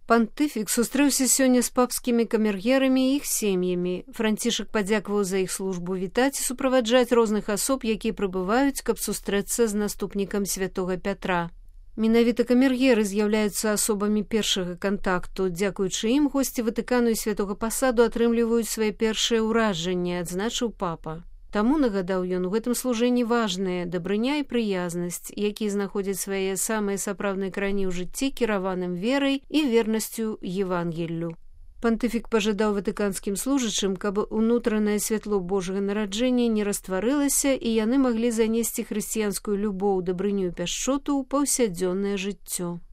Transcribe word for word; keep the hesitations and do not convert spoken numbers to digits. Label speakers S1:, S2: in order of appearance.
S1: Пантыфік сустрэўся сёння з папскімі камергерамі і іх сем'ямі. Францішак падзякаваў за іх службу вітаць і суправаджаць розных асоб, якія прыбываюць, каб сустрэцца з наступнікам святога Пятра. Менавіта камергеры з'яўляюцца асобамі першага кантакту. Дзякуючы ім госці Ватыкану і святога пасаду атрымліваюць свае першыя ўражанні, адзначыў папа. Таму, нагадаў ён, у гэтым служэнні важныя дабрыня і прыязнасць, якія знаходзяць свае самыя сапраўдныя карані ў жыцці, кіраваным верай і вернасцю Евангеллю. Пантыфік пажадаў ватыканскім служачым, каб унутранае святло Божага нараджэння не растварылася і яны маглі занесці хрысціянскую любоў, дабрыню і пяшчоту ў паўсядзённае жыццё.